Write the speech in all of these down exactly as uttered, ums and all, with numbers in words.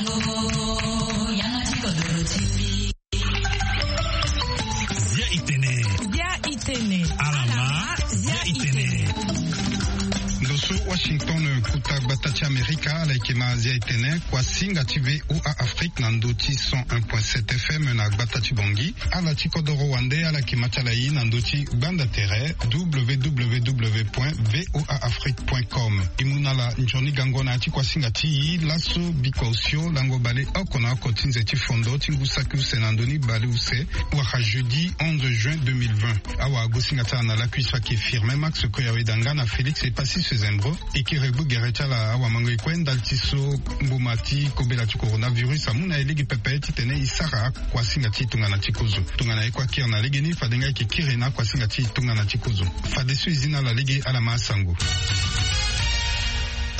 Sango, yanga ti kodoro ti mbi. Zia itene. Zia itene. Alama, zia itene. Ndo so Washington, kota gbata ti Amerika, ala yeke ma zia itene, kuasinga ti V O A Afrique na ndo ti cent un point sept F M na gbata ti Bangui. Ala ti kodoro wande, ala yeke ma ti ala ye na ndo ti gbanda tere, W W W point V O A Afrique point com. E mu na ala nzoni gango na ya ti kuasinga ti e laso, bikua osio lango baleoko na oko ti nze ti fondo ti ngu saki use na ndo ni baleuse, wala jeudi onze juin deux mille vingt. Awagosinga ti ala na lakui so ayeke Firmin Max Koyaweda nga na Félix Epassi Sezembro. E kiri gbu gere ti ala awamango e kue ndali ti so mboma ti kobela ti coronavirus amu na e lege pepe titene e sara akuasinga ti tongana ti kozo. Tongana e kue akiri na legeni, fade nga e yeke kiri na akuasinga ti tongana ti kozo. Fadeso e zi na ala lege, ala ma asango.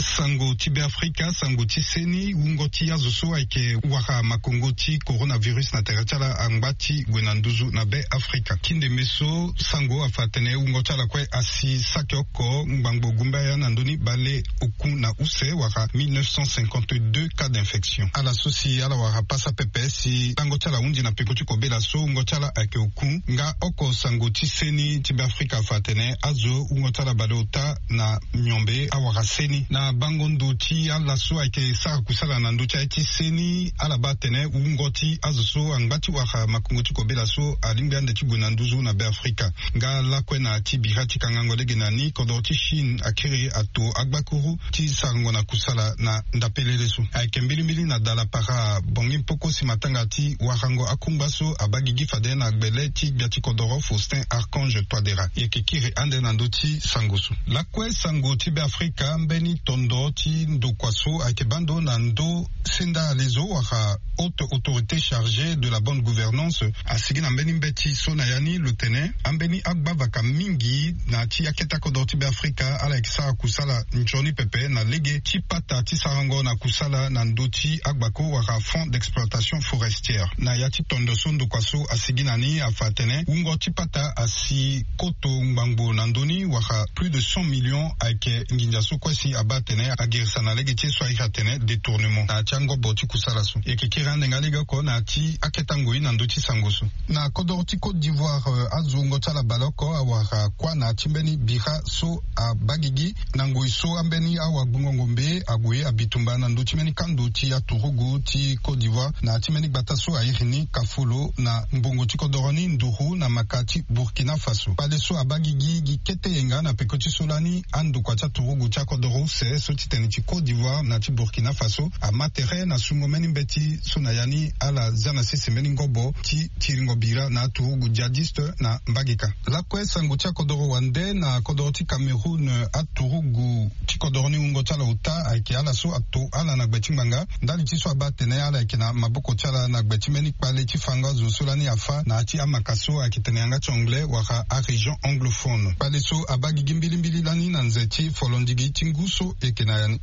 Sango ti Beafrika, sango ti seni, wungo ti azo so ayeke wara makongo ti coronavirus na tere ti ala angba ti gue na nduzu na Beafrika. Ti ndembe so sango afa atene wungo ti ala kue asi saki oko ngbangbo gumbaya na ndö ni baleoku na use, wala mille neuf cent cinquante-deux cas d'infection. Ala so si ala wara pasa pepe si lango ti ala ahunzi na peko ti kobela so wungo ti ala ayeke oku. Nga oko sango ti seni ti Beafrika afa atene azo wungo ti ala baleota na miombe awara seni. Na bango ndo ti ala so ayeke sara kusala na ndö ti aye ti seni, ala baa atene wungo ti azo so angba ti wara makongo ti kobela so alingbi ande ti gue na nduzu na Beafrika. Nga lakue na ti bira ti kangango lege na ni, kodoro ti Chine akiri ato agbakuru ti sarango na kusala na ndapelele so. Ayeke mbilimbili na dala para Bangui Mpoko si matanga ti warango akungba so abaa gigi fade na gbele ti gbia ti kodoro Faustin Archange Touadéra. E yeke kiri ande na ndö ti sango so. Lakue sango ti Beafrika, mbeni tondo ti ndokua so ayeke baa ndo na ndö senda alezo wala haute autorité chargée de la bonne gouvernance asigi na mbeni mbeti so na ya ni lo tene ambeni agbavaka mingi na ti akete akodoro ti Beafrika ala yeke sara kusala nzoni pepe na lege ti pata ti sarango na kusala na ndö ti agbako wala fonds d'exploitation forestière. Na ya ti tondo so ndokua so asigi na ni afa atene wungo ti pata asi koto ngbangbo na ndö ni, wala plus de cent millions ayeke nginza so kue si abaa atene agirisa na lege ti ye so airi atene détournement na ya ti angobo ti kusala so. E yeke kiri ande nga lege oko na ya ti akete angoi na ndö ti sango so. Na kodoro ti Côte d'Ivoire, eh, azo wungo ti ala baleoko awara kuâ na ya ti mbeni bira so abaa gigi na ngoi so ambeni awagbongo ngombe ague abitumba na ndö ti mbeni kando ti aturugu ti Côte d'Ivoire na ya ti mbeni gbata so airi ni Kafolo na mbongo ti kodoro ni nduru na maka ti Burkina Faso. Kpale so abaa gigi gi kete yenga na peko ti so lani andokua ti aturugu ti akodoro use so ti tene ti Côte d'Ivoire na ti Burkina Faso ama tere na sungo mbeni mbeti so na ya ni ala zia na sese mbeni ngobo ti tiringo bira na aturugu djihadiste na mbageka. Lakue sango ti akodoro wande na kodoro ti Cameroun, aturugu ti kodoro ni wungo ti ala ota ayeke ala so ato ala na gbe ti ngbanga ndali ti so abaa atene ala yeke na maboko ti ala na gbe ti mbeni kpale ti fango azo so lani afa na ya ti amaka so ayeke tene yanga ti anglais wala arégion anglophone. Kpale so abaa gigi mbilimbili lani na nze ti folondigi ti ngu so e yeke na ya ni.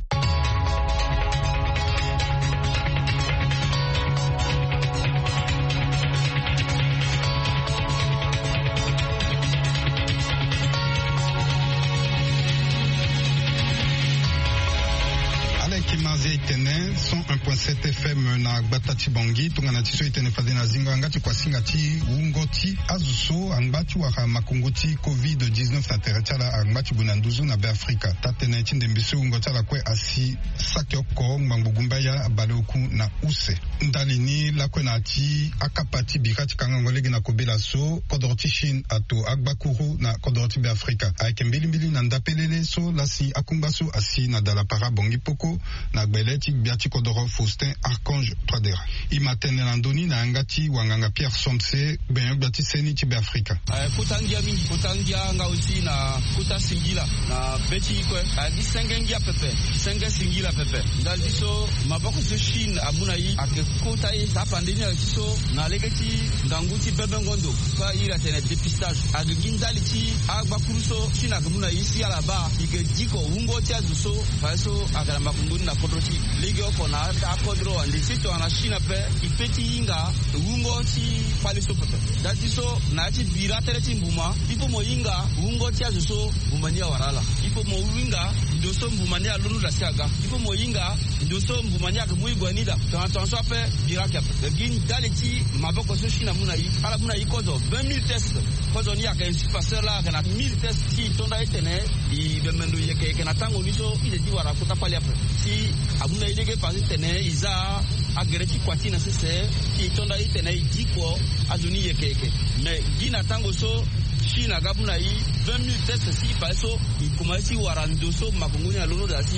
Ala yeke ma zia e tene cent un point sept F M na gbata ti Bangui. Tongana ti so e tene fade na zingo yanga ti kuasinga ti wungo ti azo so angba ti wara makongo ti covid dix-neuf na tere ti ala angba ti gue na nduzu na Beafrika. Taa-tënë ti ndembe so wungo ti ala kue asi saki oko ngbangbo gumbaya baleoku na use. Ndali ni lakue na ya ti akapa ti bira ti kangango lege na kobela so kodoro ti Chine ato agbakuru na kodoro ti Beafrika ayeke mbilimbili na ndapelele so lasi akungba so asi na dala para Bangui Mpoko na gbele ti gbia ti kodoro Faustin Archange Touadéra. E ma tene na ndö ni na yanga ti wanganga Pierre Somse, gbenyo-gbia ti seni ti Beafrika. Aye kota ngia mingi, kota ngia nga aussi na kota singila na be ti e kue. Aye gi senge ngia pepe, senge singila pepe. Ndali ti so maboko so Chine amu na e ayeke kota e, apande ni ayeke ti so na lege ti ngangu ti bebengo ndo so a iri atene dépistage. Ayeke gi ndali ti agbakuru so Chine ayeke mu na e si ala baa e yeke diko wungo ti azo so fadeso ayeke na makongo ni. Akodro ti legeoko na akodro wande si tongana chine ape, e pe ti hinga wungo ti kpale so pepe. Dati so na ya ti bira tënë ti mbuma, il faut mo hinga wungo ti azo so mbuma ni awara ala. Il faut mo hinga ndo so mbuma ni alondo daa si aga. Il faut mo hinga ndo so mbuma ni ayeke mu e gue ni daa. Tongana tongaso ape, bira ayeke ape. Gi ndali ti maboko so chine amu na e, ala mu na e kozo vingt mille tests. Kozo ni ayeke insuffisant, la ayeke na mille tests si e to nda e tene e bembe ndo yeke yeke na tango ni so e de ti wara kota kpale ape. Si amu na e lege faze tene e za agere ti kua ti na sese, si e to nda e tene e diko azo ni yeke yeke. Mais gi na tango so chine aga mu na e vingt mille tests si faze so e komanse ti wara ndo so makongo ni alondo daa si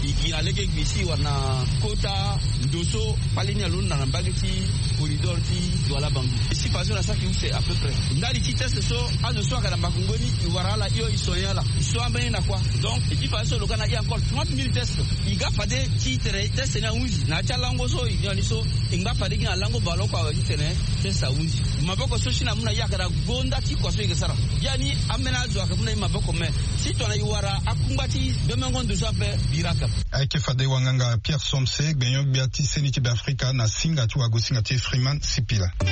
e gi na lege gbi si e wara na kota ndo so kpale ni alondo na mbage ti corridor ti Douala Bangui. E si faso na saki use à peu près ndali ti test so azo so ayeke na makongo ni e wara ala hio, e soigner ala, e so ambeni na kua. Donc e ti faso lo ga na e encore trente mille tests. E ga fade ti tene test ni ahunzi na ya ti alango so e nyon ni so, e ngba fade gi na lango bale oko awe ti tene test ahunzi. Maboko so chine amu na e ayeke na gonda ti kua so e yeke sara. Biani ambeni azo ayeke mu na e maboko, mais si tongana e wara akungba ti bemengo ndo so ape, bira ayeke ape. Ayeke fade wanganga Pierre Somse, gbenyo-gbia ti seni ti Beafrika na singa ti wagosinga ti Freeman Sipila. E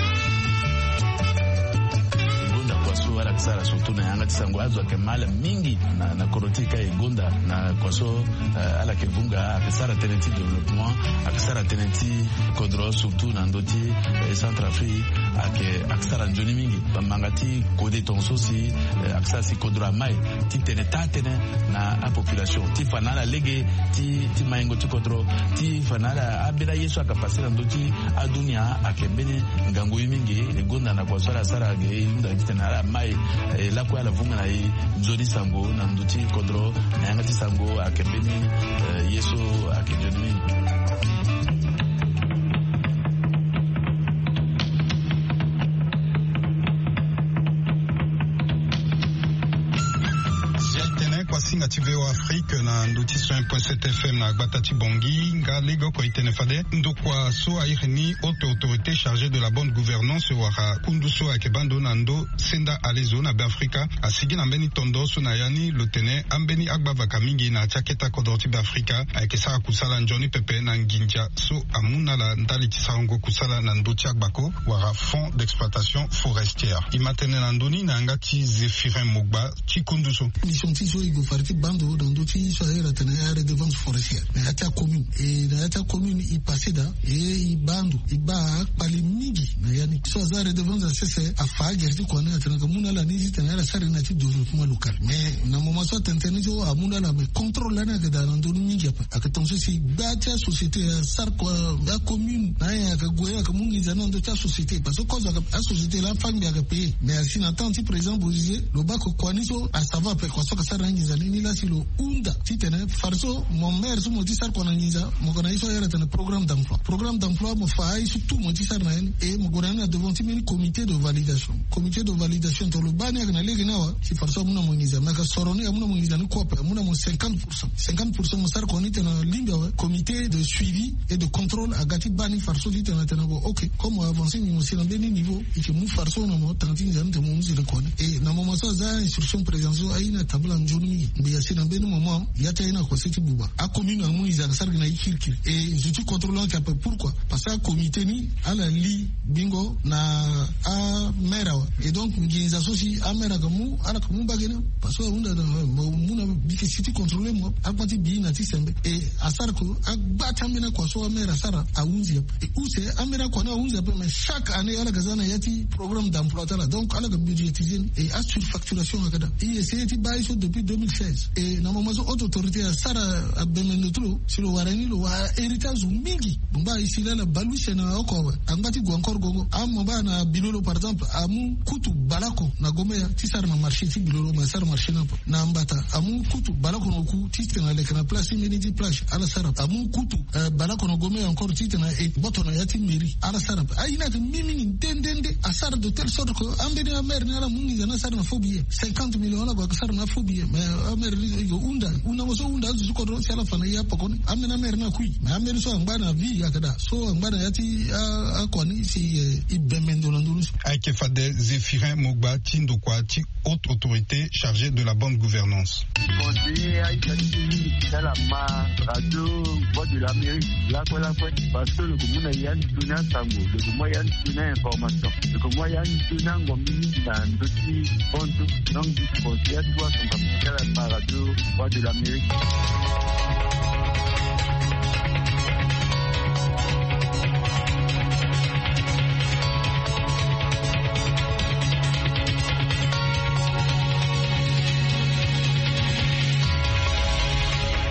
gonda kua so ala yeke sara surtout na yanga ti sango, azo ayeke ma ala mingi na, na kodro ti e ka e gonda na kua so, eh, ala yeke vunga, ayeke sara tënë ti développement, ayeke sara tënë ti kodro surtout na ndö ti, eh, Centrafrique, ayeke, ayeke sara nzoni mingi. Bamanga ti kode tongaso si, eh, ayeke sara si kodro amai ti tene taa tënë na apopulation ti fa na ala lege ti, ti maingo ti kodro, ti fa na ala ambeni aye so ayeke pase na ndö ti adunia ayeke mbeni ngangu ye mingi. E gonda na kua so ala sara ge e hunda titene ala mai, eh, lakue ala vunga na e nzoni sango na ndö ti kodro na yanga ti sango ayeke mbeni, eh, ye so ayeke nzoni mingi. Zia e tene kuasinga ti V O A Afrique na ndö ti cent un point sept F M na gbata ti Bangui. Nga lege oko e tene fade ndokua so a iri ni haute autorité chargée de la bonne gouvernance wala kundu so ayeke baa ndo na ndö senda alezo na Beafrika asigi na mbeni tondo so na ya ni lo tene ambeni agbavaka mingi na ya ti aketa kodro ti Beafrika ayeke sara kusala nzoni pepe na nginza so amu na ala ndali ti sarango kusala na ndö ti agbako wala fonds d'exploitation forestière. E ma tene na ndö ni na yanga ti Zéphirin Mogba ti kundu so. Mission ti so e gue fade ti baa ndo na ndö ti so a iri atene aredevance forestière na ya ti acommune. E na ya ti acommune e passé daa e e baa ndo e baa akpale mingi na ya ni. So aza aredevance na sese afa agere ti kua ni atene ayeke mu na ala ni titene ala sara ni na ya ti développement local. Mais na moment so atene tënë ni so amu na ala, mais contrôle lani ayeke daa na ndö ni mingi ape. Ayeke tongaso si gba ti asociété asara kua, acommune na ayen ayeke gue ayeke mu nginza ni na ndö ti asociété. Parce que kozo ayeke asociété laa fangbi ayeke payé. Mais asi na temps ti président Bozizé lo baa ke kua ni so asava ape, kua so ayeke sara na nginza ni ni laa si lo hunda titene fade so mo maire so mo ti sara kua na nginza mo yeke na ye so a iri atene programme d'emploi. Programme d'emploi mo fa aye so tout mo ti sara na ye ni. E mo gue na ni na devant ti mbeni comité de validation. Comité de validation tongana lo baa ni ayeke na lege ni awe si fade so amu na mo nginza. Mais ayeke soro ni amu na mo nginza ni kue ape, amu na mo cinquante pour cent. Cinquante pour cent mo sara kua ni tene na lingbi awe. Comité de suivi et de contrôle aga ti baa ni fade so titene atene bon, ok, comme mo avancer ni mo si na mbeni niveau, e yeke mu fade so na mo tanga ti nginza ni tene mo mu nzere kua ni. E na moment so aza instruction président so aye ni atambula nzoni mingi. Mbi asi na mbeni moment ya ti aye ni akua se ti buba. Acommune amu nginza ayeke sara gi na ye kirikiri. E zo ti contrôle ni ayeke ape. Pourquoi? Parce que acomité ni ala li bingo na amaire awe. Et donc nginza so si amaire ayeke mu ala yeke mu mbage ni. Parce que ahunda na mo mu na mbi yeke si ti contrôler mo, akpa ti bi na ti sembe. E asara ke agba ti ambeni akua so amaire asara ahunzi ape. E use ambeni akua ni ahunzi ape, mais chaque année ala yeke za na ya ti programme d'emploi ti ala. Donc ala yeke budgétiser ni. E asurfacturation ayeke daa. E essayer ti baa ye so depuis deux mille seize. E na moment so haute autorité asara abembe ndo ti lo si lo wara ni lo wara hérité azo mingi. Bongba e si laa ala bale use na oko awe. Angba ti gue encore gongo. Amo baa na Bilolo par exemple amu kutu baleoko na Gombe ya ti sara na marché ti Bilolo, mais asara marché ni ape. Na Mbata amu kutu baleoko na oku titene aleke na place ti mbeni ti plage, ala sara ape. Amu kutu, eh, baleoko na Gombe ya encore titene e gboto na ya ti mairie, ala sara ape. Aye ni ayeke mingi mingi nde nde nde. Asara de telle sorte que ambeni amaire ni ala mu nginza ni asara na faux billet. Cinquante millions ala gue ayeke sara na faux billet. Mais amaire ni e yeke hunda hundango so hunda azo ti kodro si ala fa na e apoko ni. Ambeni amaire ni akui. Mais ambeni so angba na vie ayeke daa. So angba na ya ti a, akua ni si, eh, e bembe ndo na ndö ni so. Ayeke fade Zéphirin Mogba ti ndokua ti haute autorité chargée de la bonne gouvernance. Ye aita ti mingi ti ala ma radio Voix de l'Amérique lakue lakue, parce que lo ko mu na ya ni tuni asango, lo ko mu ya ni tuni a-information, lo ko mu ya ni tuni angombi mingi na ndö ti bantu. Donc du coup ya ti wa sango ti ala ma radio Voix de l'Amérique.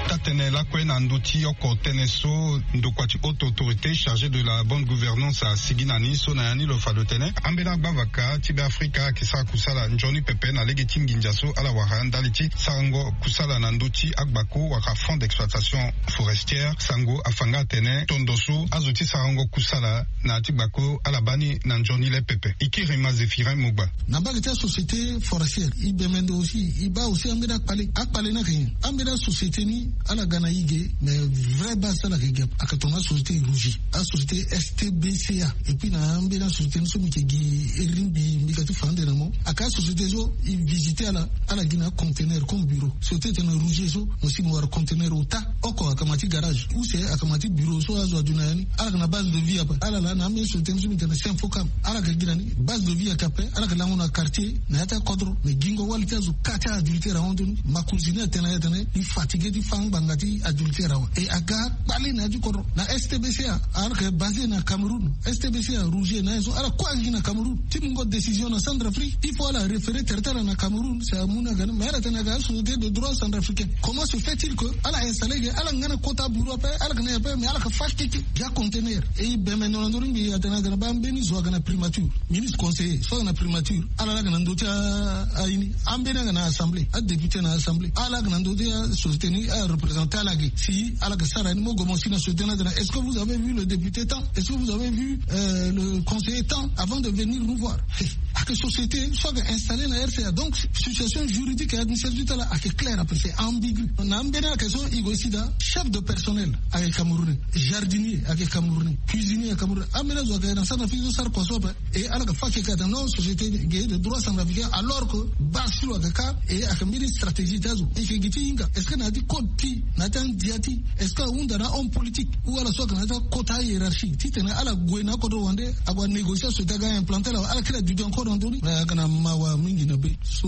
Taa-tënë lakue na ndö ti oko tënë so ndokua ti haute autorité chargée de la bonne gouvernance asigi na ni so na ya ni lo fa lo tene ambeni agbavaka ti Beafrika ayeke sara kusala nzoni pepe na lege ti nginza so ala wara ndali ti sarango kusala na ndö ti agbako wala fonds d'exploitation forestière. Sango afa nga atene tondo so azo ti sarango kusala na ya ti gbako ala baa ni na nzoni le pepe. E kiri ma Zéphirin Mogba. Na mbage ti asociété forestière, e bembe ndo aussi, e baa aussi ambeni akpale. Akpale ni ayeke nyen? Ambeni asociété ni ala ga na e ge, mais vrai base ti ala ayeke ge ape, ayeke tongana asociété Rougier, asociété S T B C A. Et puis na ambeni asociété ni so mbi yeke gi iri ni mbi, mbi ga ti fa ande na mo. Ayeke asociété so e visité ala, ala gi na aconteneur comme bureau. Société ti tene Rougier so, mo si mo wara conteneur ota oko, ayeke ma ti garage, use ayeke ma ti bureau so azo adu na ya ni. Ala yeke na base de vie ape. Ala laa na ambeni société ni so mbi tene Sinfocam. Ala yeke gi na ni, base de vie ayeke ape. Ala yeke lango na quartier na ya ti akodro. Mais gingo wali ti azo ka ti a-adultère ahon ndoni. Makonzi ni atene, atene e fatigué ti fâ ngbanga ti adultère awe. Et aga akpale na ya ti kodro. Na S T B C A, ala yeke basé na Cameroun. S T B C A, Rougier na ye so, ala kue ayeke gi na Cameroun. Ti mungo décision na Centrafrique, il faut ala référer tere ti ala na Cameroun. C'est amu na ga ni, mais ala tene aga société de droit centrafricain. Comment se fait-il que ala installé ge, ala nga na kota bureau ape, ala yeke na e ape, mais ala yeke fâ keke gi aconteneur? Et e bembe ndo na ndö ni mbi atene aga na baa mbeni zo aga na primature, ministre conseiller so aga na primature, ala laa aga na ndö ti a, aye ni. Ambeni aga na assemblée, adéputé na assemblée, ala aga na ndö ti asociété ni, ala représenté ala ge. Si ala yeke sara ni, mo gue mo si na société ni atene, est-ce que vous avez vu le député tant? Est-ce que vous avez vu, euh, le conseiller tant avant de venir nous voir? Hey, ayeke société so ayeke installé na R C A. Donc situation juridique et administrative ti ala ayeke claire ape, c'est ambigu. Na ambeni ayeke so e gue e si daa, chef de personnel ayeke camerounais, jardinier ayeke camerounais, cuisinier ayeke camerounais. Ambeni azo ayeke na Centrafrique so sara kua so ape. Et ala yeke fâ keke atene non, société ge de droit centrafricain, alors que base ti lo ayeke ka. Et ayeke mbeni stratégie ti azo. E yeke gi ti hinga, est-ce que na ya ti code ti, na ya ti andia ti, est-ce que ahunda na homme politique ou ala so ayeke na ya ti akota hiérarchie titene ala gue na akodro wande, ague anégocier société aga implanté ala, ala kiri aduti encore na ndö ni. Mais ayeke na mawa mingi na be so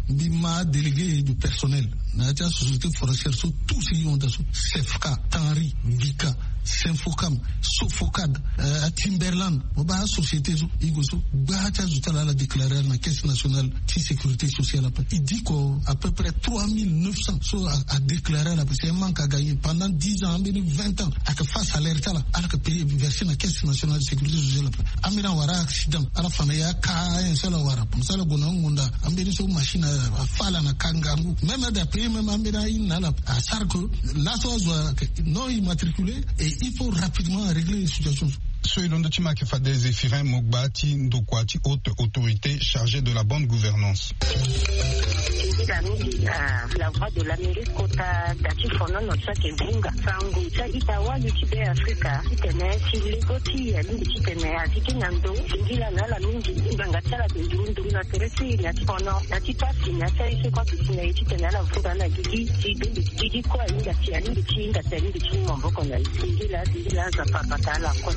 mbi ma adélégué du personnel na ya ti asociété forestière so, tout si honda so, Sefka, Tanri, Vika, Sinfocam, Sofocad, euh, Timberland. Mo baa asociété so, e gue so, gbaa ti azo ti ala ala déclaré ala na caisse nationale ti sécurité sociale ape. E diko à peu près trois mille neuf cents so a, adéclaré ala ape. C'est un manque à gagner. Pendant dix ans, ambeni vingt ans, ayeke fâ salaire ti ala, ala yeke payé, versé na caisse nationale de sécurité sociale ape. Ambeni awara accident, ala fa na e aka ayen so ala wara. Comme ça ala gue na angonda, ambeni so machine a, afâ ala na ka ngangu. Même ade apayé même ambeni aye ni na ala. Asara que laso azo ayeke non immatriculé et il faut rapidement régler les situations. So e londo ti ma ayeke fade Zéphirin Mogba ti ndokua ti haute autorité chargée de la bonne gouvernance. Eza mingi na la Voix de l'Amérique kota da ti fonono so ayeke vunga sango ti a-ita wali ti Beafrika titene ti lego ti e alingbi titene a ti kiri na ndo. Singila na ala mingi, ngbanga ti ala ayeke nduru nduru na tere ti e na ya ti fono, na ya ti pasi, na ya ti aye so kue ayeke si na e titene ala vunga na gigi ti bembe. Gigi kue ahinga ti, alingbi ti hinga ti, alingbi ti mu maboko na e. Singila, singila, Nzapa abata ala kue.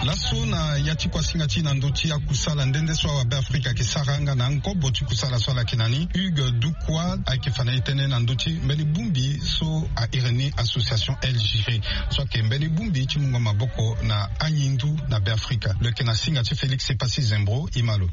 Laso na ya ti kuasinga ti na ndö ti akusala nde nde so awa Beafrika ayeke sara nga na angobo ti kusala so ala yeke na ni, Hugues Dukwa ayeke fa na e tënë na ndö ti mbeni bongbi so a iri ni association El Giré, so ayeke mbeni bongbi ti mungo maboko na anyi ndu na Beafrika. Lo yeke na singa ti Félix Epassi Zembro, e ma lo.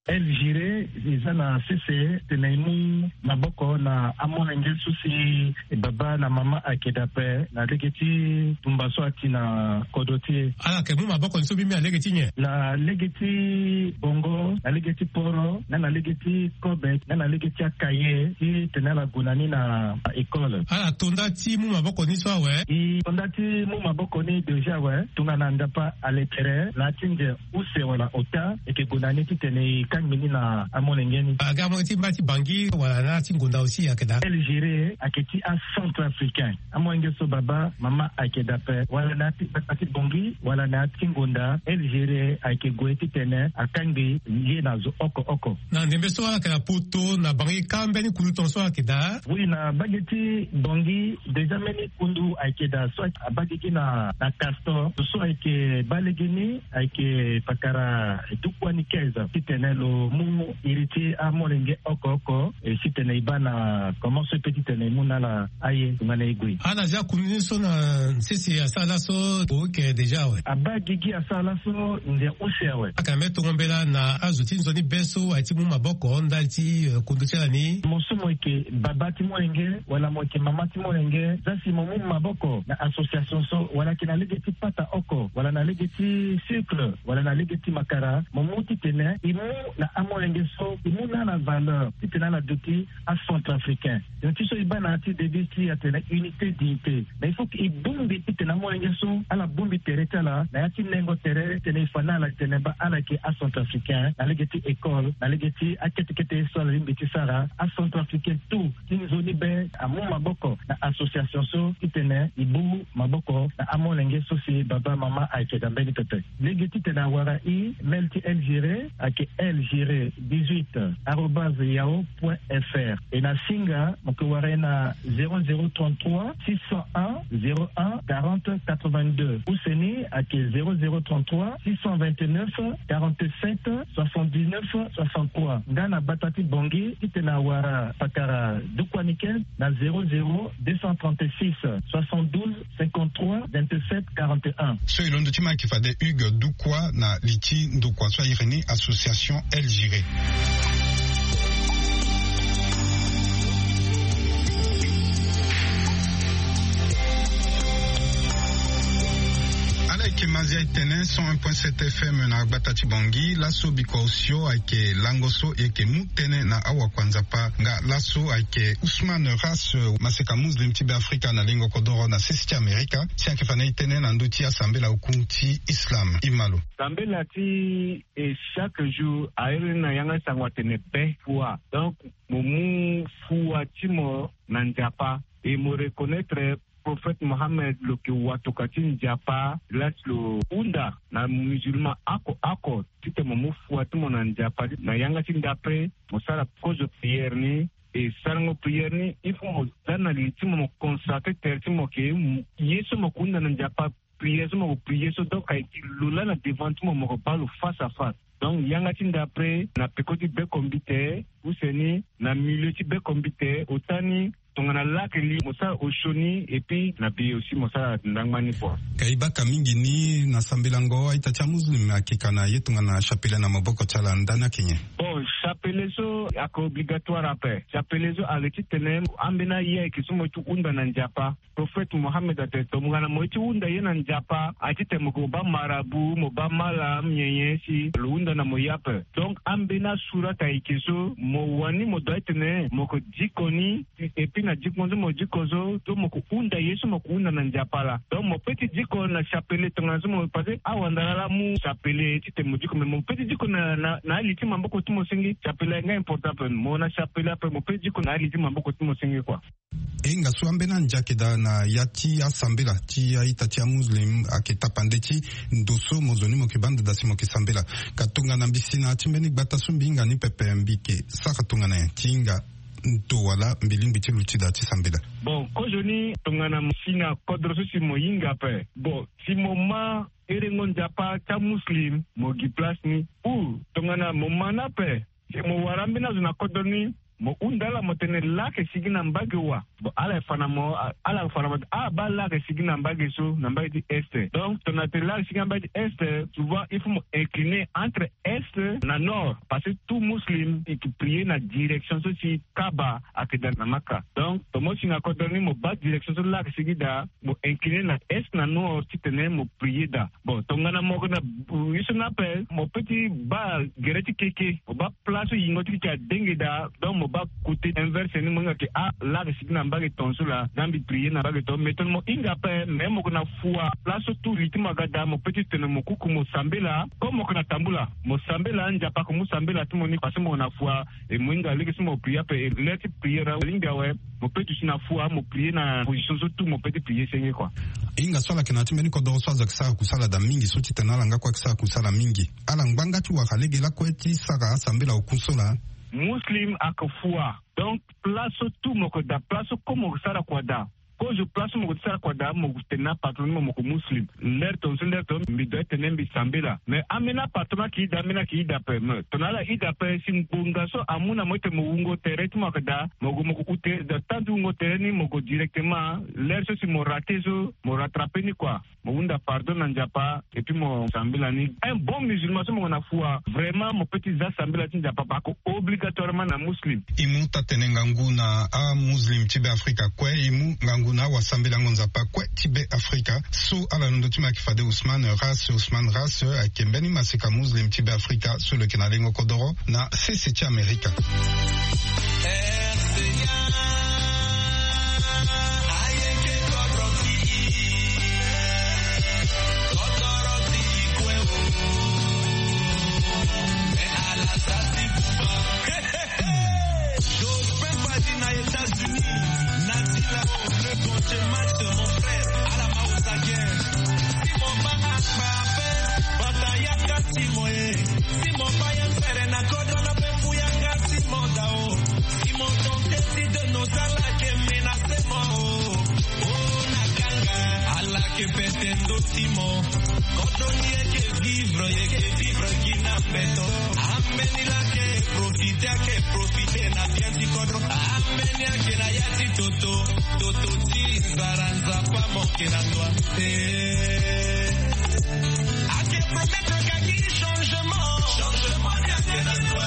El Giré eza na sese tene e mu maboko na amolenge so si e baba na mama ayeke daa ape na lege ti tumba so ati na kodro ti e. Ala yeke mu maboko ni so mbi mbi na lege ti nyen? Na lege ti bongo, na lege ti poro, na na lege ti kobe, na na lege ti akaye ti tene ala gue na ni na école. Ala to nda ti mu maboko ni so awe? E to nda ti mu maboko ni déjà awe. Tongana Nzapa ale tere na ya ti nze use wala ota, e yeke gue na ni titene e kangbi ni na amolenge ni. Aga amolenge ti mba ti Bangui wala na ya ti ngonda aussi ayeke daa? El Giré ayeke ti acentrafricain. Amolenge so baba, mama ayeke daa ape, wala na ya ti gbata ti Bangui wala na ya ti ngonda, El Giré ayeke gue titene akangbi ye na zo oko oko. Na ndembe so ala yeke na poto na Bangui kâ mbeni kuluton so ala yeke daa? Oui, na mbage ti Bangui déjà mbeni kundu ayeke daa so abaa gigi na, na Castor. So ayeke baa lege ni ayeke pakara dukua ni quinze titene lo mu iri ti amolenge oko oko, e, titene e baa na comment so e peut titene e mu na ala aye tongana e gue. Ala zia kundu ni so na sese asara laso o yeke déjà awe? Abaa gigi asara laso nze use awe. Aka me tongo mbela na azo ti nzoni be so aye ti mu maboko ndali ti, eh, kundu ti ala ni. Mo so mo yeke baba ti molenge wala mo yeke mama ti molenge, za si mo mu maboko na association so, wala yeke na lege ti pata oko, wala na lege ti sucre, wala na lege ti makara, mo mu titene e mu na amolenge so, e mu na ala valeur titene ala duti acentrafricain. Donc ti so e baa na ya ti devise ti e atene unité, dignité. Mais il faut que e bongbi titene amolenge so ala bongbi tere ti ala na ya ti nengo tere titene e fa na ala titene baa ala yeke acentrafricain na lege ti école, na lege ti akete kete ye so ala lingbi ti sara. Acentrafricain tout ti nzoni be amu maboko na association so titene e bu maboko na amolenge so si baba mama ayeke daa mbeni pepe. Lege titene awara e, mail ti El Giré ayeke L Giré dix-huit arobase yahoo point F R. E na singa mo yeke wara e na zéro zéro trente-trois six cent un zéro un quarante quatre-vingt-deux. Use ni ayeke zéro zéro trente-trois six cent vingt-neuf quarante-sept soixante-dix-neuf soixante-trois. Nga na gbata ti Bangui titene awara pakara dukua ni quinze na zéro zéro deux cent trente-six soixante-douze cinquante-trois vingt-sept quarante et un. So e londo ti ma ayeke fade Hugues Dukua na li ti ndokua so a iri ni association El Giré. Ala yeke Mazia e tene cent un point sept F M na gbata ti Bangui. Laso bikua osio ayeke lango so e yeke mu tënë na awakua Nzapa. Nga laso ayeke Ousmane Ras, maseka muslim ti Beafrika na lingo kodoro na sese ti Amerika, si ayeke fa na e tënë na ndö ti asambela oku ti Islam. E ma lo. Sambela ti e chaque jour airi ni na yanga ti sango atene be fua. Donc mo mu fua ti mo na Nzapa. E mo reconnaître Prophète Mohammed lo yeke watokua ti Nzapa, la si lo hunda na musulman oko oko titene mo mu fua ti mo na Nzapa. Na yanga ti ndapre mo sara kozo prière ni. E sarango prière ni, il faut mo za na li ti mo, mo consacrer tere ti mo ke ye so mo ke hunda na Nzapa, prière so mo ke prière so, donc ayeke lo laa na devant ti mo, mo ke baa lo face à face. Donc yanga ti ndapre na peko ti bekombite, use ni na milieu ti bekombite, ota ni tongana lake li mo sara osio ni, et puis na bi aussi mo sara ndangba ni kua. Ka e baka mingi ni na sambelango a-ita ti amuslim akeka na ye tongana chapelet na maboko ti ala ndani ayeke nyen? Bon, chapelet so ayeke obligatoire ape. Chapelet so ayeke titene ambeni aye ayeke so mo ye ti hunda na Nzapa. Prophète Mohammed atene tongana mo ye ti hunda ye na Nzapa, aye titene mo ke mo baa marabout, mo baa malam, nyen nyen si lo hunda na mo ye ape. Donc ambeni asurat ayeke so mo wani mo doit titene mo ke diko ni, et puis na diko so mo diko so, so mo ke hunda ye so mo ke hunda na Nzapa laa. Donc mo peut ti diko na chapelet tongana so mo, parce que awandara laa amu chapelet titene mo diko, mais mo peut ti diko na, na, na ali ti maboko ti mo senge. Chapelet ayeke nga important ape. Mo na chapelet ape, mo peut ti diko na ali ti maboko ti mo senge kua. E hinga so ambeni andia ayeke daa na ya ti asambela ti a-ita ti amuslim ayeke tapande ti ndo so mo zo ni mo yeke baa ndada si mo yeke sambela. Ka tongana mbi si na ya ti mbeni gbata so mbi hinga ni pepe, mbi yeke sara tongana nyen ti hinga ndo wala mbi lingbi ti luti daa ti sambela? Bon, kozoni tongana mo si na kodro so si mo hinga ape. Bon, si mo ma herengo Nzapa ti amuslim, mo gi place ni. Ou tongana mo ma ni ape, si mo wara ambeni azo na kodro ni, mo hunda ala mo tene laa ayeke sigi na mbage wa. Bon, ala fa na mo, ala fa na mo, ah, baa lage sigi na mbage so, na mbage ti est. Donc tongana tene lage sigi na mbage ti est, souvent il faut mo incliner entre est na nord, parce que tout muslim il prier na direction so si Kaaba ayeke daa na Maka. Donc tongana mo si na kodro ni, mo baa direction so lage sigi daa, mo incliner na est na nord titene mo prier daa. Bon, tongana mo yeke na, euh, ye so ni ape, mo peut ti baa gere ti keke, mo baa place so yingo ti keke adenge daa. Donc mo baa côté inverse ni, mo hinga ke, ah, lage sigi na mbage tongaso laa, nda mbi prier na mbage tongaso. Mais tongana mo hinga ape, mais mo yeke na fua, place so tout rythme aga daa, mo peut ti tene mo kuku mo sambela. Comme mo yeke na tambula, mo sambela, Nzapa ayeke mu sambela ti mo ni, parce que mo yeke na fua. E mo hinga lege so mo prier ape, e l'heure ti prier alingbi awe. Mo peut ti si na fua, mo prier na position so tout mo peut ti prier senge, quoi. E hinga so ala yeke na ya ti mbeni kodoro so azo ayeke sara kusala daa mingi, so titene ala nga kue ayeke sara kusala mingi. Ala ngbanga ti wara lege lakue ti sara asambela oku so laa. Muslim ayeke fua. Donc place so tout mo yeke daa, place so comme mo yeke sara kua daa. Kozo place so mo yeke sara kua daa, mo yeke tene na apatron ni mo, mo yeke muslim. L'heure tongaso, l'heure tongaso mbi doit ti tene mbi sambela. Mais ambeni apatron ayeke daa, ambeni ayeke daa ape. Mais tongana ala daa ape, si ngbonga so amu na mo ti tene mo wungo tere ti mo ayeke daa, mo gue mo yeke ute daa, temps ti wungo tere ni mo gue directement. L'heure so si mo rater so, mo rattraper ni, quoi. Mo hunda pardon na Nzapa, et puis mo sambela ni. Un bon musulman so mo yeke na fua, vraiment mo peut ti za sambela ti Nzapa, parce que obligatoirement na muslim. E mu taa-tene ngangu na amuslim ti Beafrika kue, e mu ngangu na awasambelango Nzapa kue ti Beafrika. So ala londo ti mo ayeke fade Ousmane Ras. Ousmane Ras ayeke mbeni maseka muslim ti Beafrika so lo yeke na lengo kodoro na sese ti Amerika. Jospin Fadi na États-Unis, Natila, le Conche Max, mon frère, ala ma osagen. Si mo banga kpa ape, bata yanga ti mo e. Si mo baa yen fere na kodro na pe mbu yanga ti mo dao. Si mo tente ti de nos ala ke menacé mo o. O na kanga, ala ke pete ndo ti mo. Kodro ni eke vivre, eke vivre gi na mbeto. Ambeni la ke profiter, ake profiter na bien ti kodro. Ambeni ake na ya ti toto, toto ti nzara, Nzapa mo ke na ndwa. Eh. Ake promettre ka gi changement. Changement ni ake na ndwa.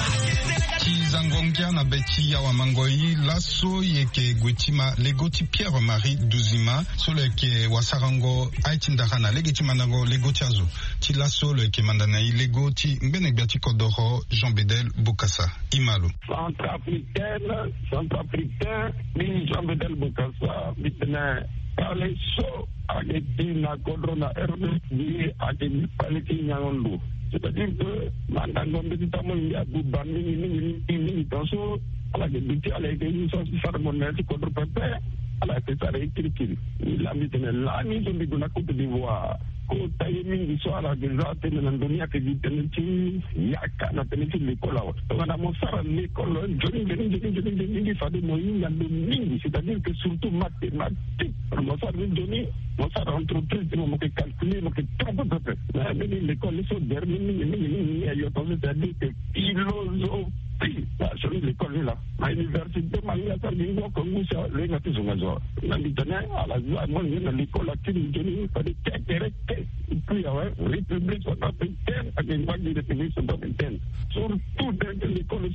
Ti zango ngia na be ti awa mango, e laso e yeke gue ti ma lego ti Pierre Marie Duzima, so lo yeke wasarango aye ti ndara na lege ti mandango lego ti azo. Ti laso lo yeke manda na e lego ti ngbene gbia ti kodoro Jean Bedel Bokassa. E ma lo. Centrafricaine, centrafricain, mbi Jean Bedel Bokassa, mbi tene kpale so ayeke ti na kodro na R D C ayeke gi kpale ti nyango ndo. C'est-à-dire que mandango mbeti ti amoyo ngia abuba mingi mingi mingi mingi, tongaso ala yeke duti, ala yeke ye so asi sara mo na ya ti kodro pepe, ala yeke sara ye kirikiri. Mbi laa mbi tene lani so mbi gue na Côte d'Ivoire, kota ye mingi so ala yeke za tënë na ndö ni ayeke gi tënë ti yaka na tënë ti lekole awe. Tongana mo sara lekole nzoni nzoni nzoni nzoni nzoni, fade mo hinga ndo mingi, c'est-à-dire que surtout mathématique. Mo sara ni nzoni, mo sara entreprise ti mo, mo yeke calculer, mo yeke tro pepepe. Mais mbeni lekole so gere ni mingi mingi mingi, ayo tongaso, c'est-à-dire que philosophie. Ah, so ni lekole ni laa. Na université ma hinga sara gi ngu oko ngu si lo hinga ti zonga zo. Na mbi tene ala za mo ni na lekole akiri nzoni, fade ti akere te. Et puis awe, République centrafricaine ayeke ngbanga ti République centrafricaine. Surtout dans l'école, il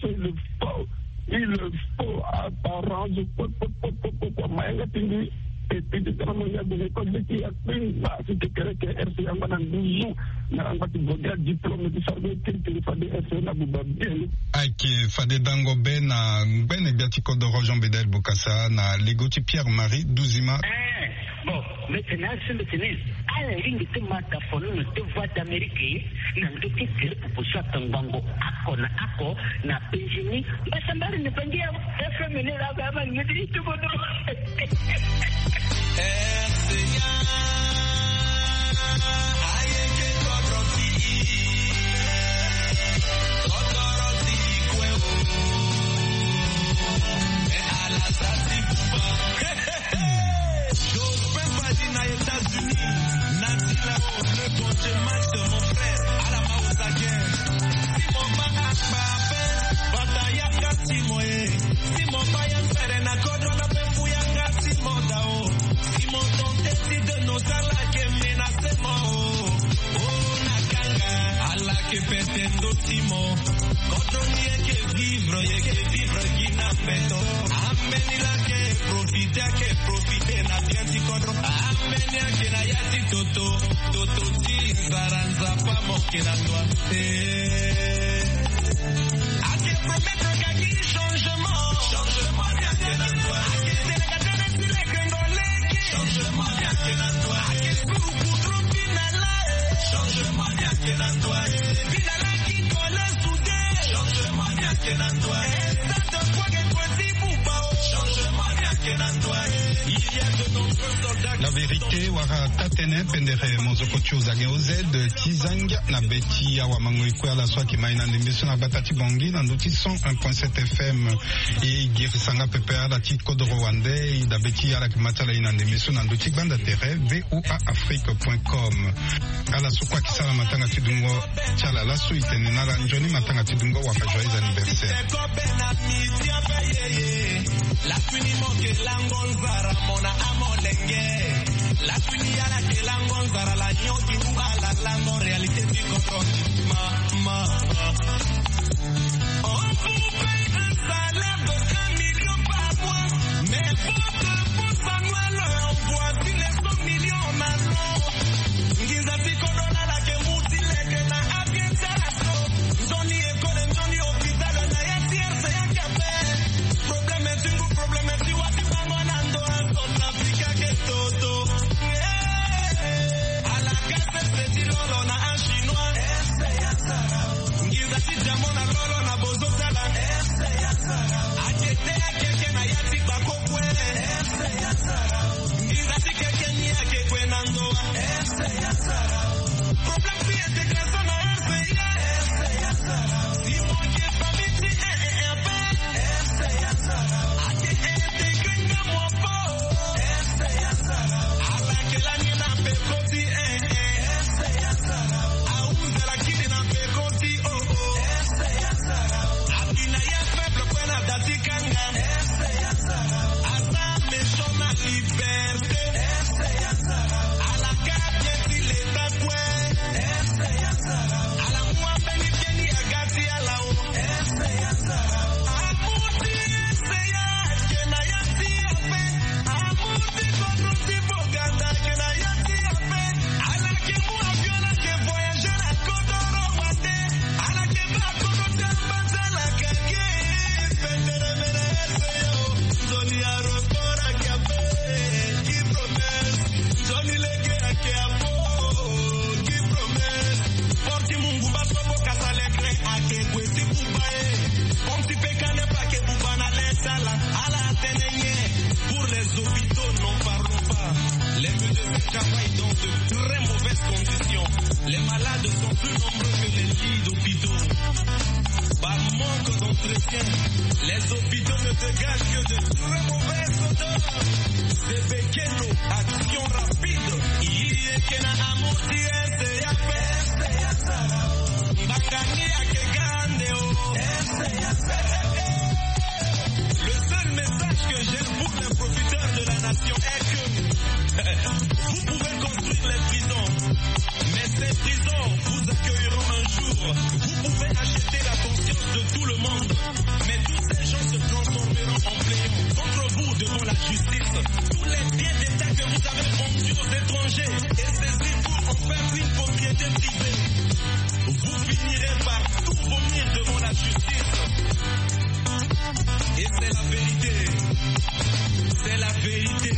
faut, il faut apparence, po, po, po, po, po, po, mayanga ti mbi. Et puis ti tene mo ya gue na école ti ya kpengba si ti kere ke R C A ngba na nduzu. Na ngba ti gue na diplôme ti sara be kirikiri, fade R C A na buba bien. Ayeke fade dango be na ngbene gbia ti kodoro Jean Bedel Bokassa na lego ti Pierre Marie Duzima. Eh, bon, mbi tene asi mbi tene ala lingbi ti ma tafono na deux voix d'Amérique, na ndö ti gere popo so atongbango oko na oko na penzi ni. Mbasambala ni bangi ya F M ni laa, ba ma ni ti kodoro. Jospin Fadi na États-Unis, Natila, le Conche Max, mon frère, ala ma osagen. Si mo banga kpa ape, bata yanga ti mo e. Si mo baa yen fere na kodro na pe mbu yanga Kodro ni eke vivre, eke vivre gi na mbeto. Ambeni lake profite, ake profite na bien ti kodro. Ambeni ake na ya ti toto, toto ti nzara, nzapa moke na ndwa. Eh. Ake promettre kaki changement. Changement ni ake na ndwa. Ake délégataire ti leke ngoleki. Changement ni ake na ndwa. Ake suru kudro ti na la. Changement ni ake na ndwa. La vérité wala tatene pendere mozoko ti ozange oz ti zangia na be ti awa mango ikue ala so ayeke mai na ndembe so na gbata ti bongi na ndö ti cent un point sept F M. E girisa nga pepe ala ti kodoro wande e dabe ti ala yeke ma ti ala e na ndembe so na ndö ti gbanda tere V O A Afrique point com. Ala so kue ayeke sara matanga ti dungo ti ala laso e tene na ala nzoni matanga ti dungo wala joyeux anniversaire. Lasuni mo ke lango nzara mo na amolenge. Lasuni ala ke lango nzara la nyoki ou ala lango réalité ti kodro. Ma, ma, ma. On vous paye un salaire de un million par mois, mais votre dépense annuelle avoisine les cent millions en allons. Nginza ti kodro na ala ke mu ti leke na avion ti ala so. Nzoni école, nzoni hôpital na ya ti R C A ke ape. Problème ti ngu, problème ti wa ti bango na ndo a Centrafrique ake toto. Eh, ala ka sese ti lolo na achinois. Nginza ti diamant na lolo na bozo ti ala. Ake te ake ke na ya ti gbako kue. Nginza ti keke ni ake kue na ndoa. Problème ti intégration na R C A. Si mo yeke famille ti un et un pe. Ake intégré nga mo po. Ala ke lani na peko ti un. Ahuza lakini na peko ti o. Abi na ya faible kue na da ti kanga. Aza méchant na liberté. Ala ka bien ti leta kue. Ala mu ambeni keni aga ti ala o. Amour ti R C A ke na ya ti ape. Amour ti kodro ti Boganda ke na ya ti ape. Ala ke mu avion, ala ke voyager na kodoro wande. Ala ke baa kodro ti ambanza, ala ka ge. Pendere mene R C A o. Nzoni aéroport ake ape. Ki promesse. Nzoni leke ake apo. Ki promesse. Port ti Mungumba so bo kasa leke ake kue ti buba e. Pont ti Pekane pa ake buba na le ti ala. Ala tene nyen? Pour les hôpitaux, n'en parlons pas. Les médecins travaillent dans de très mauvaises conditions. Les malades sont plus nombreux que les lits d'hôpitaux. Par manque d'entretien, les hôpitaux ne dégagent que de très mauvaises odeurs. Sebekelo, action rapide. Iye ke na amour ti R C A pe. Mbangani ake ga ande o. Le seul message que j'ai pour les profiteurs de la nation est que vous pouvez construire les prisons, mais ces prisons vous accueilleront un jour. Vous pouvez acheter la conscience de tout le monde, mais tous ces gens se transformeront en plaignants contre vous devant la justice. Tous les biens d'État que vous avez vendus aux étrangers et saisis pour en faire une propriété privée, vous finirez par tout vomir devant la justice. Et c'est la vérité. C'est la vérité.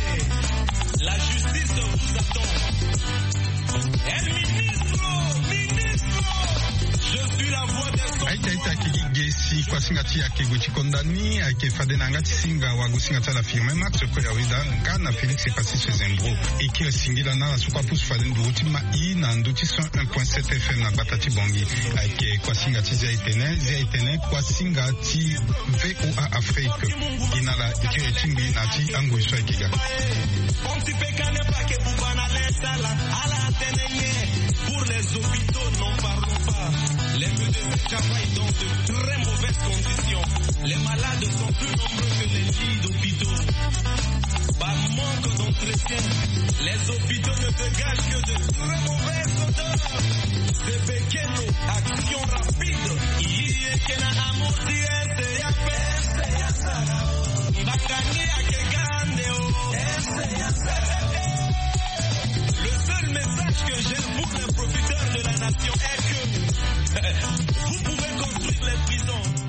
La justice vous attend. El ministro, ministro, je suis la voix des sans-voix. Aita, aita, kiki gesi, kuasinga ti ake gue ti konda ni, ake fade na yanga ti singa, wagosinga ti ala Firmin Max, kue ya weda, nga na Félix Epassis Sezembro. Eke singila na ala so kue apusu fade nduru ti mai na ndö ti cent un point sept F M na gbata ti Bangui. Ayeke kuasinga ti Zia Etene, Zia Etene, kuasinga ti V O A Afrique. Gi na ala kiri ti ngbi na ti angoi so ayeke ga. Pont ti Pekane pa ake buba na le ti ala, ala tene nyen? Pour les hôpitaux, n'en parlons pas. Les médecins travaillent dans de très mauvaises conditions. Les malades sont plus nombreux que les lits d'hôpitaux. Par Manque d'entretien. Les hôpitaux ne dégagent que de très mauvaises odeurs. Zebekeno, action rapide. Iye kena amour di S C A P. Mbakani ake gande o. Le seul message que j'ai pour les profiteurs de la nation est que vous pouvez construire les prisons.